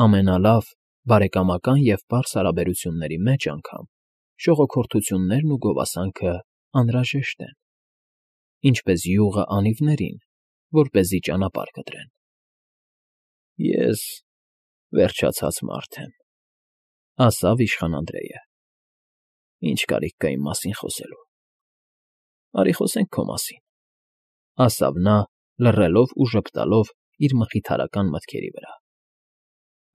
Ամենալավ, բարեկամական և պարզ հարաբերությունների մեջ անգամ շողոքորթություններն ու գովասանքը անհրաժեշտ են, ինչպես յուղը անիվներին, որպեսզի ճանապարհ կտրեն։ ֊ Ես վերջացած մարդ եմ,֊ ասավ իշխան Անդրեյը։֊ Ինչ կարիք կա իմ մասին խոսելու։ ֊ Արի խոսենք քո մասին,֊ ասավ նա, լռելով ու ժպտալով իր մխիթարական մտքերի վրա։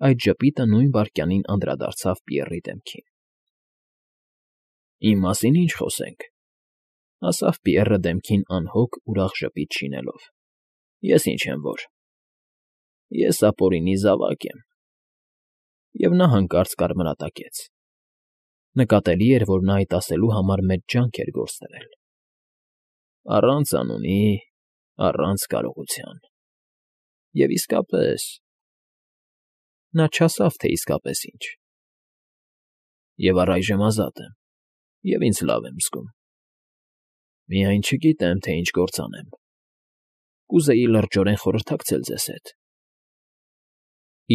Այդ ժպիտը նույն վայրկյանին անդրադարձավ Պիեռի դեմքին։ ֊ Իմ մասին ինչ խոսենք,֊ ասավ Պիեռը դեմքին անհոգ ուրախ ժպիտ շինելով։֊ Ես ինչ եմ որ… Ես ապօրինի զավակ եմ… Եվ նա հանկարծ կարմրատակեց. նկատելի էր, որ նա այդ ասելու համար մեծ ջանք էր գործադրել։ Առանց անունի, առանց կարողության… Եվ իսկապես… Նա չասավ, թե իսկապես ինչ։ Եվ առայժմ ազատ եմ, և ինձ լավ եմ զգում… Միայն չգիտեմ, թե ինչ գործ անեմ… Կուզեի լրջորեն խորհրդակցել ձեզ հետ…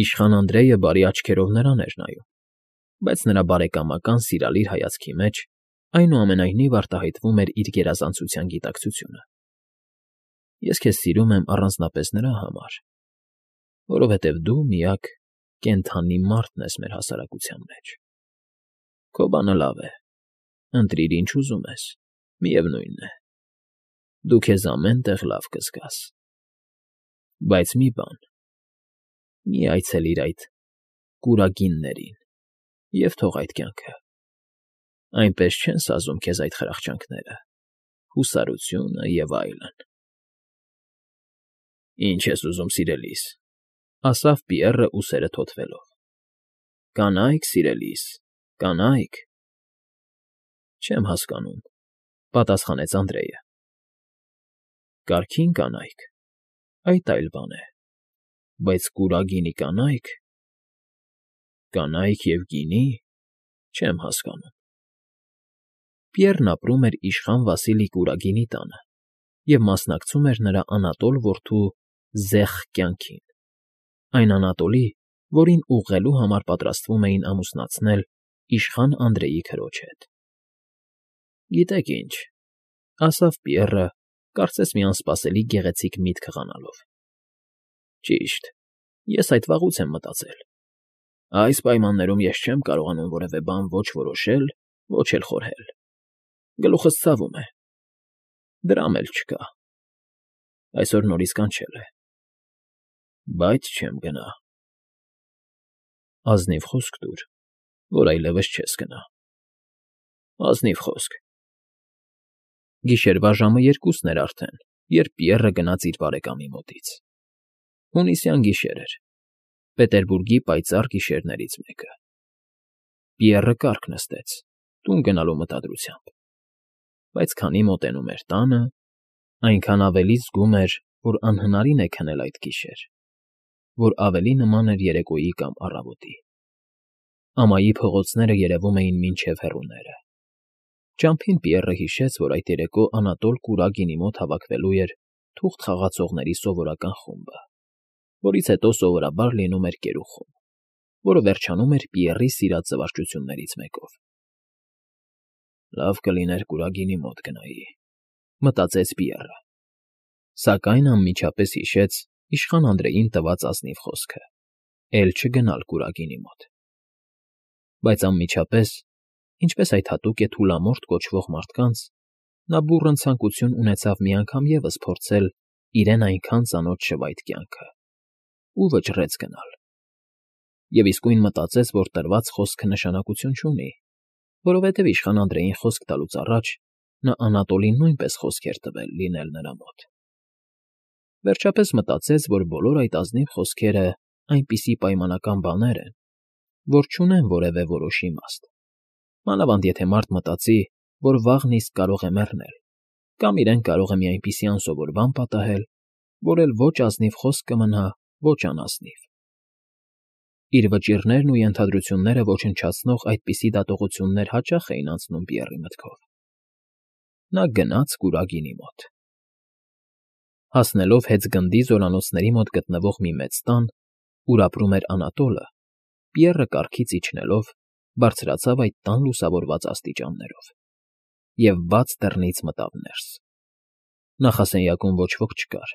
Իշխան Անդրեյը բարի աչքերով նրան էր նայում, բայց նրա բարեկամական, սիրալիր հայացքի մեջ այնուամենայնիվ արտահայտվում էր իր գերազանցության գիտակցությունը։ Ես քեզ սիրում եմ առանձնապես նրա համար, որովհետև դու միակ կենդանի մարդն ես մեր հասարակության մեջ… Քո բանը լավ է, ընտրիր ինչ ուզում ես, միևնույն է, դու քեզ ամեն տեղ լավ կզգաս… Բայց մի բան. մի այցելիր այդ կուրագիններին և թող այդ կյանքը… Այնպես չեն սազում քեզ այդ խրախճանքները, հուսարությունը և այլն… ֊ Ինչ ես ուզում, սիրելիս,֊ ասավ Պիեռը ուսերը թոթվելով։֊ Կանա՞յք, սիրելիս, կանա՞յք… Չեմ հասկանում,֊ պատասխանեց Անդրեյը։ ֊ Կարգին կանայք… այդ այլ բան է, բայց կուրագինի կանայք… Կանայք և գինի… չեմ հասկանում… Պիեռն ապրում էր իշխան Վասիլի Կուրագինի տանը և մասնակցում էր նրա անատոլ որդու զեղ կյանքին, այն Անատոլի, որին ուղղելու համար պատրաստվում էին ամուսնացնել իշխան Անդրեյի քրոջ հետ։ ֊ Գիտեք ինչ,֊ ասավ Պիեռը, կարծես մի անսպասելի գեղեցիկ միտք խանալով,֊ ճիշտ, ես այդ վաղուց եմ մտածել… Այս պայմաններում ես չեմ կարողանում որևէ բան ոչ որոշել, ոչ էլ խորհել… Գլուխս ցավում է… Դրամ էլ չկա… Այսօր նորից կանչել է… Բայց չեմ գնա… Ազնիվ խոսք տուր, որ այլևս չես գնա… Ազնիվ խոսք… Գիշերվա ժամը 2-ն էր արդեն, երբ Պիեռը գնաց իր բարեկամի մոտից… Հունիսյան գիշեր էր, Պետերբուրգի պայծառ գիշերներից մեկը… Պիեռը կառք նստեց, տուն գնալու մտադրությամբ, բայց քանի մոտենում էր տանը, այնքան ավելի զգում էր, որ անհնարին է քնել այդ գիշեր, որ ավելի նման էր երեկոյի կամ առավոտի… Ամայի փողոցները երևում էին մինչև հեռուները… Ճամփին Պիեռը հիշեց, որ այդ երեկո Անատոլ Կուրագինի մոտ հավաքվելու էր թուղթ խաղացողների սովորական խումբը, որից հետո սովորաբար լինում էր կերուխում, որը վերջանում էր Պիեռի սիրած զվարճություններից մեկով։ «Լավ կլիներ Կուրագինի մոտ գնայի,֊ մտածեց Պիեռը, սակայն անմիջապես հիշեց իշխան Անդրեյին տված ազնիվ խոսքը՝ էլ չգնալ Կուրագինի մոտ… Բայց անմիջապես, ինչպես այդ հատուկ է թուլամորթ կոչվող մարդկանց, նա բուռն ցանկություն ունեցավ մի անգամ ևս փորձել իրեն այնքան ծանոթ շվայտ կյանքը ու վճռեց գնալ… Եվ իսկույն մտածեց, որ տրված խոսքը նշանակություն չունի, որովհետև իշխան Անդրեյին խոսք տալուց առաջ նա Անատոլին նույնպես խոսք էր տվել լինել նրա մոտ… Վերջապես մտածեց, որ բոլոր այդ ազնիվ խոսքերը այնպիսի պայմանական բաներ են, որ չունեն որևէ որոշ իմաստ, մանավանդ եթե մարդ մտածի, որ վաղն իսկ կարող է մեռնել, կամ իրեն կարող է մի այնպիսի անսովոր բան պատահել, որ էլ ոչ ազնիվ խոսք կմնա, ոչ անազնիվ… Իր վճիռներն ու ենթադրությունները ոչնչացնող այդպիսի դատողություններ հաճախ էին անցնում Պիեռի մտքով… Նա գնաց Կուրագինի մոտ… Հասնելով հեծգնդի զորանոցների մոտ գտնվող մի մեծ տան, ուր ապրում էր Անատոլը, Պիեռը կառքից իջնելով բարձրացավ այդ տան լուսավորված աստիճաններով և բաց դռնից մտավ ներս. նախասենյակում ոչ ոք չկար.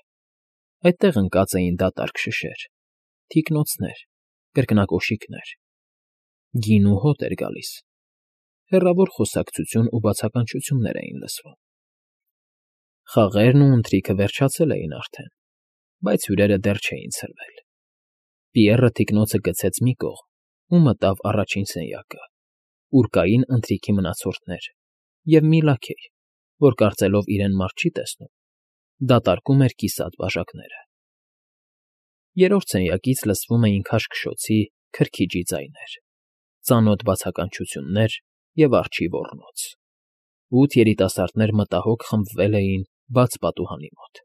այդտեղ ընկած էին դատարկ շշեր, թիկնոցներ, կրկնակոշիկներ, գինու հոտ էր գալիս, հեռավոր խոսակցություն ու բացականչություններ էին լսվում. խաղերն ու ընթրիքը վերջացել էին արդեն, բայց հյուրերը դեռ չէին ցրվել. Պիեռը թիկնոցը գցեց մի կողմ ու մտավ առաջին սենյակը, ուր կային ընթրիքի մնացորդներ և մի լաքեյ, որ կարծելով իրեն մարդ չի տեսնում, դատարկում էր կիսատ բաժակները. երրորդ սենյակից լսվում էին քաշքշոցի, քրքիջի ձայներ, ծանոթ բացականչություններ և արջի ոռնոց. 8 երիտասարդներ մտահոգ խմբվել էին բաց պատուհանի մոտ.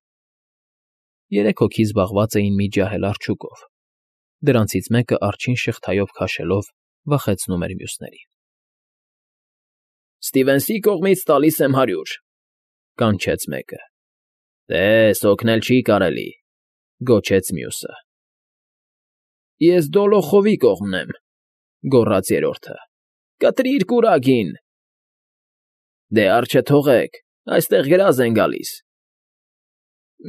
3 հոգի զբաղված էին մի ջահել արջուկով, դրանցից մեկը արջին շղթայով քաշելով վախեցնում էր մյուսներին։ «Ստիվենսի կողմից տալիս եմ 100», կանչեց մեկը։ «Տես, օգնել չի կարելի», գոչեց մյուսը։ «Ես Դոլոխովի կողմն եմ», գոռաց երրորդը։ «Կտրիր կուրագին»։ «Դե արջը թողեք, այստեղ գրազ են գալիս»։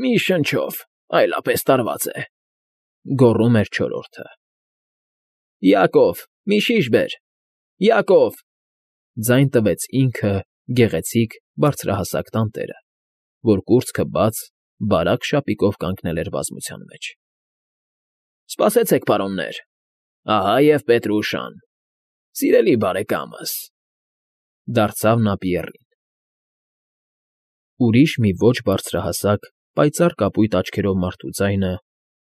«Մի շնչով, այլապես տարված է», գոռում էր չորրորդը։ «Յակով, մի շիշ բեր, Յակով», ձայն տվեց ինքը գեղեցիկ բարձրահասակ տանտերը, որ կուրծքը բաց, բարակ շապիկով կանգնել էր բազմության մեջ։ «Սպասեցեք, պարոններ, ահա և Պետրուշան, սիրելի բարեկամս», դարձավ նա Պիեռին։ Ուրիշ մի ոչ բարձրահասակ, պայծառ կապույտ աչքերով մարդու ձայնը,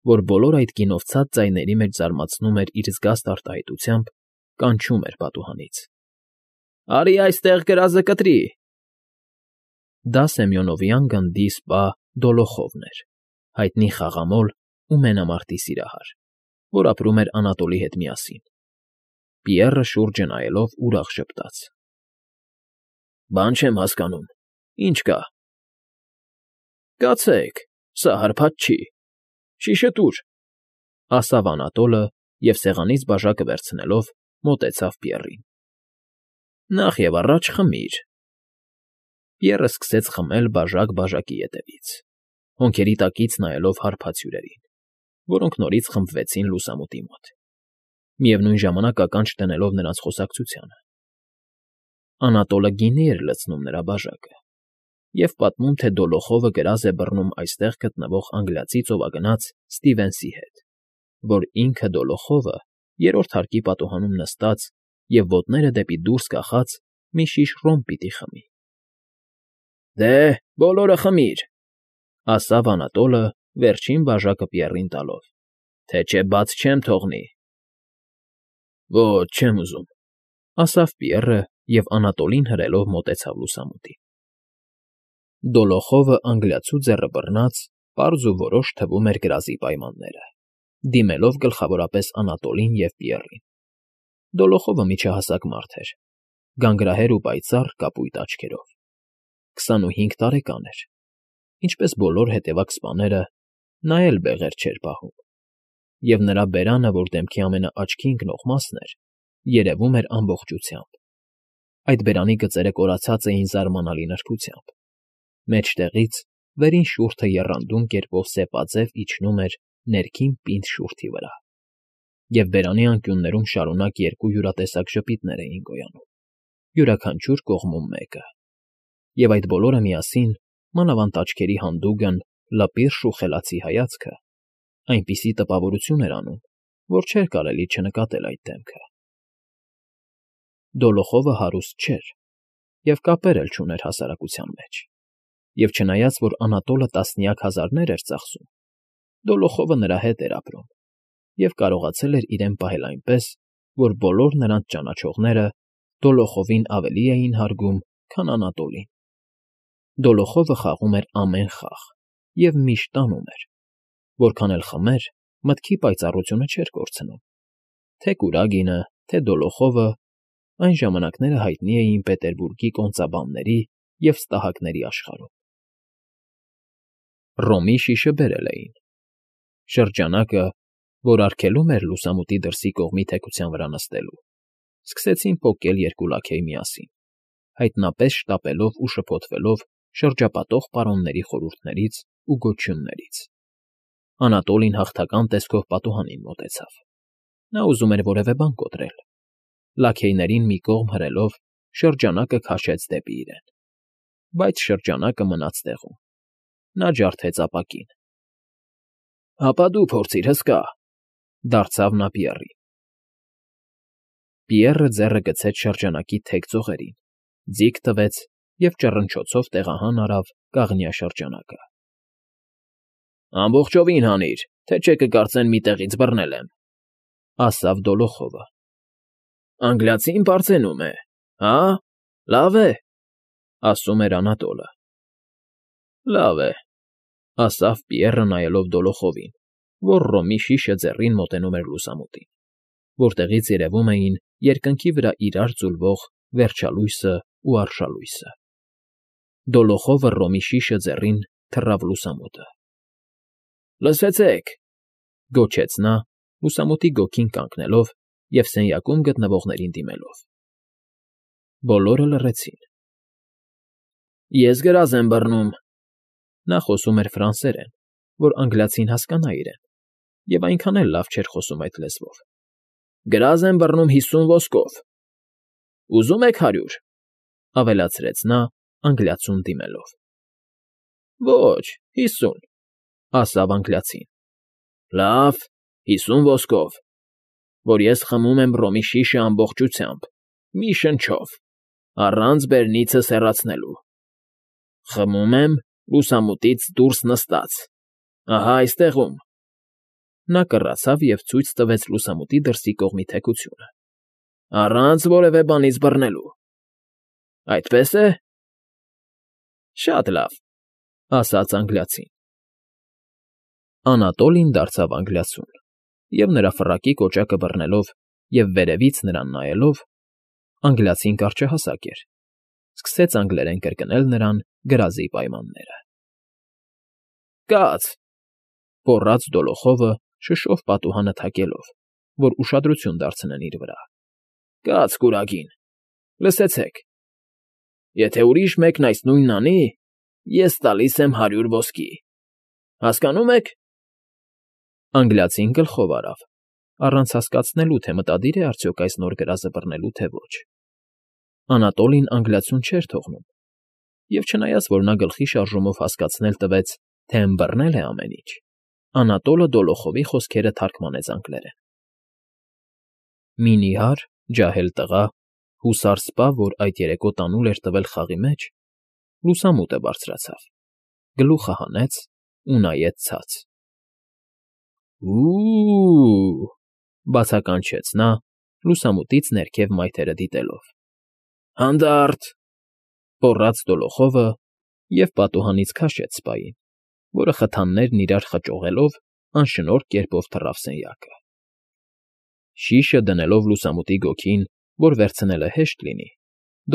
որ բոլոր այդ գինովցած ձայների մեջ զարմացնում էր իր զգաստ արտահայտությամբ, կանչում էր պատուհանից. «Արի այստեղ գրազը կտրի»։ Դա Սեմյոնովյան գնդի սպա Դոլոխովն էր, հայտնի խաղամոլ ու մենամարտի սիրահար, որ ապրում էր Անատոլի հետ միասին։ Պիեռը շուրջը նայելով ուրախ ժպտաց. «Բան չեմ հասկանում, ինչ կա»։ «Կացեք, սա հարբած չի, շիշը տուր», ասավ Անատոլը և սեղանից բաժակը վերցնելով մոտեցավ Պիեռին։ «Նախ և առաջ խմիր»։ Պիեռը սկսեց խմել բաժակ բաժակի ետևից, հոնքերի տակից նայելով հարբած հյուրերին, որոնք նորից խմբվեցին լուսամուտի մոտ, միևնույն ժամանակ ականջ դնելով նրանց խոսակցությանը։ Անատոլը գինի էր լցնում նրա բաժակը և պատմում, թե Դոլոխովը գրազ է բռնում այստեղ գտնվող անգլիացի ծովագնաց Ստիվենսի հետ, որ ինքը Դոլոխովը երրորդ հարկի պատուհանում նստած և ոտները դեպի դուրս կախած մի շիշ ռոմ պիտի խմի։ «Դե, բոլորը խմիր», ասավ Անատոլը վերջին բաժակը Պիեռին տալով, «թե չէ բաց չեմ թողնի»։ «Ոչ, չեմ ուզում», ասավ Պիեռը և Անատոլին հրելով մոտեցավ լուսամուտին։ Դոլոխովը անգլիացու ձեռը բռնած, պարզ ու որոշ թվում էր գրազի պայմանները, դիմելով գլխավորապես Անատոլին և Պիեռին։ Դոլոխովը միջահասակ մարդ էր, գանգրահեր ու պայծառ կապույտ աչքերով, 25 տարեկան էր, ինչպես բոլոր հետևակ սպաները, նա էլ բեղեր չէր պահում, և նրա բերանը, որ դեմքի ամենաաչքի ընկնող մասն էր, երևում էր ամբողջությամբ։ Այդ բերանի գծերը կորացած էին զարմանալի նրբությամբ, մեջտեղից վերին շուրջը եռանդուն կերպով սեպաձև իջնում էր ներքին պինդ շուրթի վրա, և բերանի անկյուններում շարունակ երկու յուրատեսակ ժպիտներ էին գոյանում, յուրաքանչյուր կողմում մեկը, և այդ բոլորը միասին, մանավանդ աչքերի հանդուգն, լպիրշ ու խելացի հայացքը, այնպիսի տպավորություն էր անում, որ չէր կարելի չնկատել այդ դեմքը։ Դոլոխովը հարուստ չէր և կապեր էլ չուներ հասարակության մեջ, և չնայած որ Անատոլը տասնյակ հազարներ էր ծախսում, Դոլոխովը նրա հետ էր ապրում և կարողացել էր իրեն պահել այնպես, որ բոլոր նրանց ճանաչողները Դոլոխովին ավելի էին հարգում, քան Անատոլին։ Դոլոխովը խաղում էր ամեն խաղ և միշտ տանում էր, որքան էլ խմեր, մտքի պայծառությունը չէր կորցնում, թե կուրագինը, թե Դոլոխովը այն ժամանակները հայտնի էին Պետերբուրգի կոնծաբանների և ստահակների աշխարհում։ Ռոմի շիշը բերել էին։ Շրջանակը որ արգելում էր լուսամուտի դրսի կողմի թեքության վրա նստելու, սկսեցին պոկել երկու լաքեյ միասին, հայտնապես շտապելով ու շփոթվելով շրջապատող պարոնների խորհուրդներից ու գոչյուններից։ Անատոլին հաղթական տեսքով պատուհանին մոտեցավ։ Նա ուզում էր որևէ բան կոտրել։ Լաքեյներին մի կողմ հրելով շրջանակը քաշեց դեպի իրեն։ Բայց շրջանակը մնաց տեղում։ Նա ջարդեց ապակին։ «Հապա դու փորձիր, հսկա», դարձավ նա Պիեռին։ Պիեռը ձեռը գցեց շրջանակի թեք ծողերին, ձիգ տվեց և ճռնչոցով տեղահան արավ կաղնյա շրջանակը։ «Ամբողջովին հանիր, թե չէ կկարծեն մի տեղից բռնել եմ», ասավ Դոլոխովը։ «Անգլիացին պարծենում է, հա՞, լավ է», ասում էր Անատոլը։ «Լավ է», ասավ Պիեռը նայելով Դոլոխովին, որ Ռոմի շիշը ձեռին մոտենում էր լուսամուտին, որտեղից երևում էին երկնքի վրա իրար ձուլվող վերջալույսն ու արշալույսը։ Դոլոխովը Ռոմի շիշը ձեռին թռավ լուսամուտը։ «Լսեցեք», գոչեց նա, լուսամուտի գոգին կանգնելով և սենյակում գտնվողներին դիմելով։ Բոլորը լռեցին։ «Ես գրազ եմ բռնում», նա խոսում էր ֆրանսերեն, որ անգլիացին հասկանա իրեն, և այնքան էլ լավ չէր խոսում այդ լեզվով։ «Գրազ եմ բռնում 50 ոսկով»։ «Ուզում եք 100», ավելացրեց նա անգլիացուն դիմելով։ «Ոչ, 50», ասավ անգլիացին։ «Լավ, 50 ոսկով, որ ես խմում եմ Ռոմի շիշը ամբողջությամբ, մի շնչով, առանց բերնիցս հեռացնելու։ Խմում եմ լուսամուտից դուրս նստած, ահա այստեղում»։ Նա կռացավ և ցույց տվեց լուսամուտի դրսի կողմի թեքությունը։ «Առանց որևէ բանից բռնելու։ Այդպե՞ս է»։ «Շատ լավ», ասաց անգլիացին։ Անատոլին դարձավ անգլիացուն, և նրա ֆռակի կոճակը բռնելով և վերևից նրան նայելով (անգլիացին կարճահասակ էր) սկսեց անգլերեն կրկնել նրան գրազի պայմանները։ «Կաց», գոռաց Դոլոխովը, շշով պատուհանը թակելով, որ ուշադրություն դարձնեն իր վրա։ «Կաց կուրագին, լսեցեք. եթե ուրիշ մեկն այս նույնն անի, ես տալիս եմ 100 ոսկի։ Հասկանո՞ւմ եք»։ Անգլիացին գլխով արավ, առանց հասկացնելու, թե մտադիր է արդյոք այս նոր գրազը բռնելու, թե ոչ։ Անատոլին անգլիացուն չէր թողնում, և չնայած որ նա գլխի շարժումով հասկացնել տվեց, թե ըմբռնել է ամեն ինչ, Անատոլը Դոլոխովի խոսքերը թարգմանեց անգլերեն։ Մի նիհար, ջահել տղա, հուսար սպա, որ այդ երեկո տանուլ էր տվել խաղի մեջ, լուսամուտը բարձրացավ, գլուխը հանեց ու նայեց ցած։ «Ու՜ւ», բացականչեց նա, լուսամուտից ներքև մայթերը դիտելով։ «Հանդա՛րտ», գոռաց Դոլոխովը և պատուհանից քաշեց սպային, որը խթաններն իրար խճողելով անշնորհ կերպով թռավ սենյակը։ Շիշը դնելով լուսամուտի գոգին, որ վերցնելը հեշտ լինի,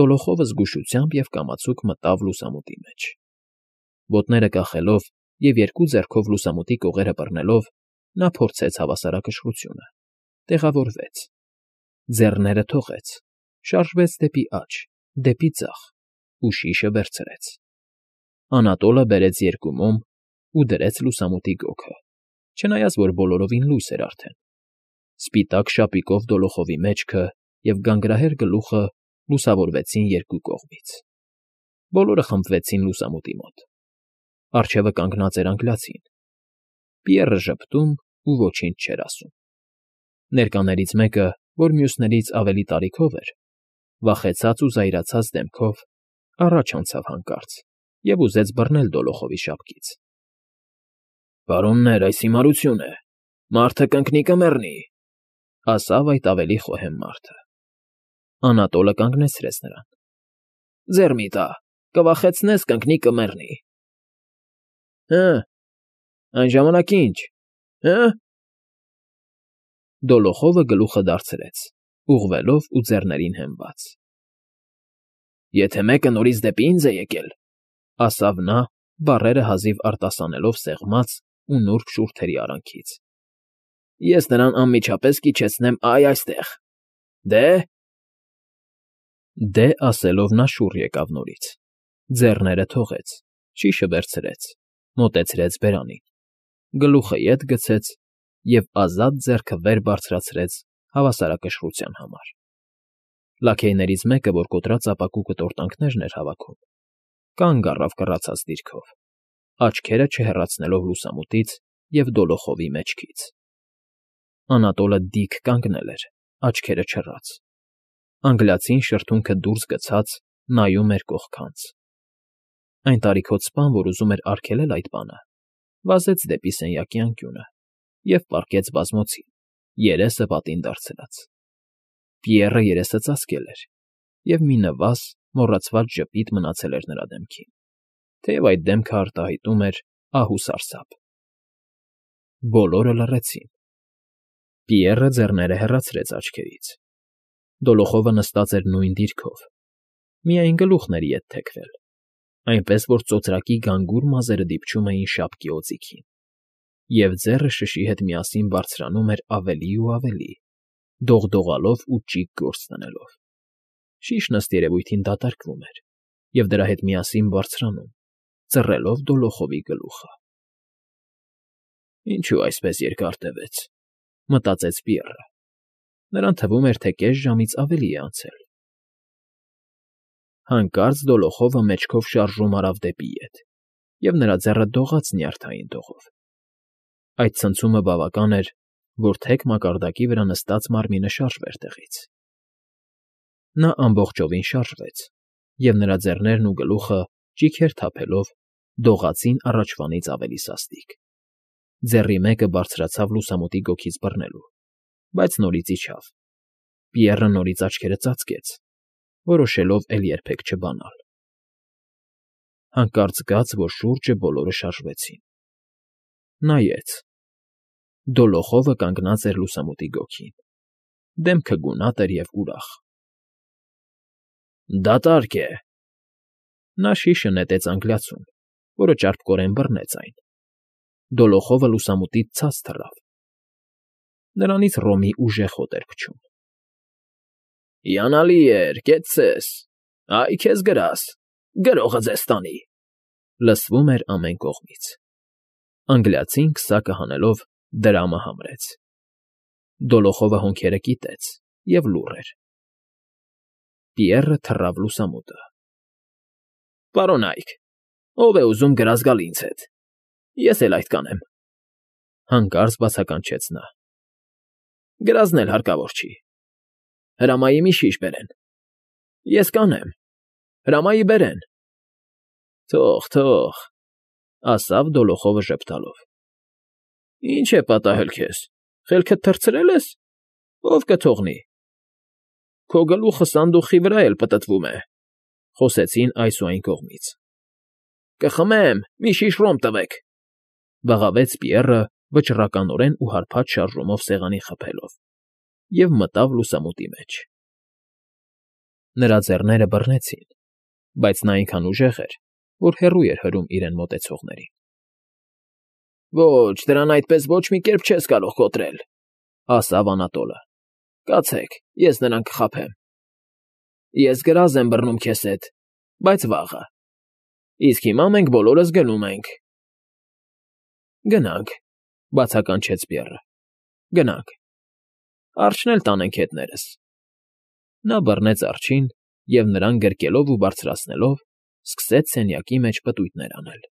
Դոլոխովը զգուշությամբ և կամացուկ մտավ լուսամուտի մեջ։ Ոտները կախելով և երկու ձեռքով լուսամուտի կողերը բռնելով, նա փորձեց հավասարակշռությունը, տեղավորվեց, ձեռները թողեց, շարժվեց դեպի աջ, դեպի ձախ ու շիշը վերցրեց։ Անատոլը բերեց երկու մոմ ու դրեց լուսամուտի գոգը, չնայած որ բոլորովին լույս էր արդեն։ Սպիտակ շապիկով Դոլոխովի մեջքը և գանգրահեր գլուխը լուսավորվեցին երկու կողմից։ Բոլորը խմբվեցին լուսամուտի մոտ։ Առջևը կանգնած էր անգլիացին։ Պիեռը ժպտում ու ոչինչ չէր ասում։ Ներկաներից մեկը, որ մյուսներից ավելի տարիքով էր, վախեցած ու զայրացած դեմքով առաջ անցավ հանկարծ և ուզեց բռնել Դոլոխովի շապկից։ «Պարոններ, այս հիմարություն է, մարդը կընկնի կմեռնի», ասավ այդ ավելի խոհեմ մարդը։ Անատոլը կանգնեցրեց նրան։ «Ձեռ մի տա, կվախեցնես, կընկնի կմեռնի»։ «Հը, այն ժամանակ ինչ, հը»։ Դոլոխովը գլուխը դարձրեց, ուղղվելով ու ձեռներին հենված։ «Եթե մեկը նորից դեպի ինձ է եկել», ասավ նա, բառերը հազիվ արտասանելով սեղմած ու նուրբ շուրթերի արանքից, Ես նրան անմիջապես կիջեցնեմ այստեղ։ Դե՞։ Դե ասելով նա շուռ եկավ նորից, ձեռները թողեց, շիշը վերցրեց, մոտեցրեց բերանին, գլուխը ետ գցեց և ազատ ձեռքը վեր բարձրացրեց հավասարակշռության համար. լաքեյներից մեկը, որ կոտրած ապակու կտորտանքներն էր հավաքում, կանգ առավ կռացած դիրքով, աչքերը չհեռացնելով լուսամուտից և դոլոխովի մեջքից. Անատոլը դիք կանգնել էր, աչքերը չռած, անգլիացին շրթունքը դուրս գցած նայում էր կողքանց. այն տարիքոտ սպան, որ ուզում էր արգելել այդ բանը, վազեց դեպի սենյակի անկյունը և պառկեց բազմոցին, երեսը պատին դարձրած. Պիեռը երեսը ծածկել էր, և մի նվազ, մոռացված ժպիտ մնացել էր նրա դեմքին, թեև այդ դեմքը արտահայտում էր ահ ու սարսափ։ Բոլորը լռեցին։ Պիեռը ձեռները հեռացրեց աչքերից. Դոլոխովը նստած էր նույն դիրքով, միայն գլուխն էր ետ թեքվել, այնպես որ ծոծրակի գանգուր մազերը դիպչում էին շապկի օձիքին, և ձեռը շշի հետ միասին բարձրանում էր ավելի ու ավելի, դողդողալով ու ճիգ գործ դնելով։ Շիշն ըստ երևույթին դատարկվում էր և դրա հետ միասին բարձրանում, ծռելով Դոլոխովի գլուխը։ «Ինչո՞ւ այսպես երկար տևեց,֊ մտածեց Պիեռը. նրան թվում էր, թե կես ժամից ավելի է անցել»։ Հանկարծ Դոլոխովը մեջքով շարժում արավ դեպի ետ, և նրա ձեռը դողաց նյարդային դողով։ Այդ ցնցումը բավական էր, որ թեք մակարդակի վրա նստած մարմինը շարժվեր տեղից։ Նա ամբողջովին շարժվեց, և նրա ձեռներն ու գլուխը, ճիգեր թափելով, դողացին առաջվանից ավելի սաստիկ։ Ձեռի մեկը բարձրացավ լուսամուտի գոգից բռնելու, բայց նորից իջավ։ Պիեռը նորից աչքերը ծածկեց, որոշելով էլ երբեք չբանալ։ Հանկարծ զգաց, որ շուրջը բոլորը շարժվեցին։ Նայեց. Դոլոխովը կանգնած էր լուսամուտի գոգին, դեմքը գունատ էր և ուրախ։ «Դատարկ է,֊ նա շիշը նետեց անգլիացուն, որը ճարպկորեն բռնեց այն։ Դոլոխովը լուսամուտից ցած թռավ։ Նրանից Ռոմի ուժեղ հոտ էր փչում։ Հիանալի էր, կեցցես, այ քեզ գրաս, գրողը ձեզ տանի», լսվում էր ամեն կողմից։ Անգլիացին քսակը հանելով դրամը համրեց։ Դոլոխովը հոնքերը կիտեց և լուռ էր։ Պիեռը թռավ լուսամուտը։ «Պարոնայք, ով է ուզում գրազ գալ ինձ հետ, ես էլ այդ կանեմ,֊ հանկարծ բացականչեց նա։ Գրազն էլ հարկավոր չի։ Հրամայի մի շիշ բերեն։ Ես կանեմ, հրամայի բերեն։ Թող,֊ ասավ Դոլոխովը ժպտալով։ Ինչ է պատահել քեզ, խելքդ թռցրել ես, ով կթողնի։ Քո գլուխը սանդուղքի վրա էլ պտտվում է,֊ խոսեցին այս ու այն կողմից։ Կխմեմ, մի շիշ ռոմ տվեք,֊ բղավեց Պիեռը վճռականորեն ու հարբած շարժումով սեղանին խփելով, և մտավ լուսամուտի մեջ։ Նրա ձեռները բռնեցին, բայց նա այնքան ուժեղ էր, որ հեռու էր հրում իրեն մոտեցողներին։ Ոչ, դրան այդպես ոչ մի կերպ չես կարող կոտրել,֊ ասավ Անատոլը։ Կացեք, ես նրան կխաբեմ։ Ես գրազ եմ բռնում քեզ հետ, բայց վաղը։ Իսկ հիմա մենք բոլորս գնում ենք։ Գնանք,֊ բացականչեց Պիեռը։ Գնանք։ Արջն էլ տանենք հետներս։ Նա բռնեց արջին և նրան գրկելով ու բարձրացնելով, սկսեց սենյակի մեջ պտույտներ անել։